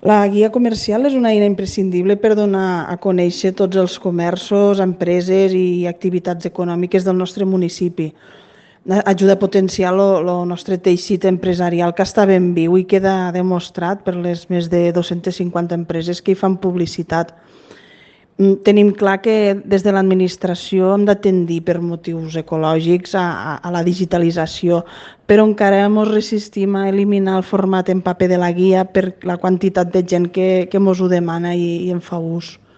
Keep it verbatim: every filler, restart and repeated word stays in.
La guia comercial és una eina imprescindible per donar a conèixer tots els comerços, empreses i activitats econòmiques del nostre municipi. Ajuda a potenciar el nostre teixit empresarial, que està ben viu i queda demostrat per les més de dues-centes cinquanta empreses que hi fan publicitat. Tenim clar que des de l'administració hem de tendir per motius ecològics a, a la digitalització, però encara ens resistim a eliminar el format en paper de la guia per la quantitat de gent que, que mos ho demana i, i en fa ús.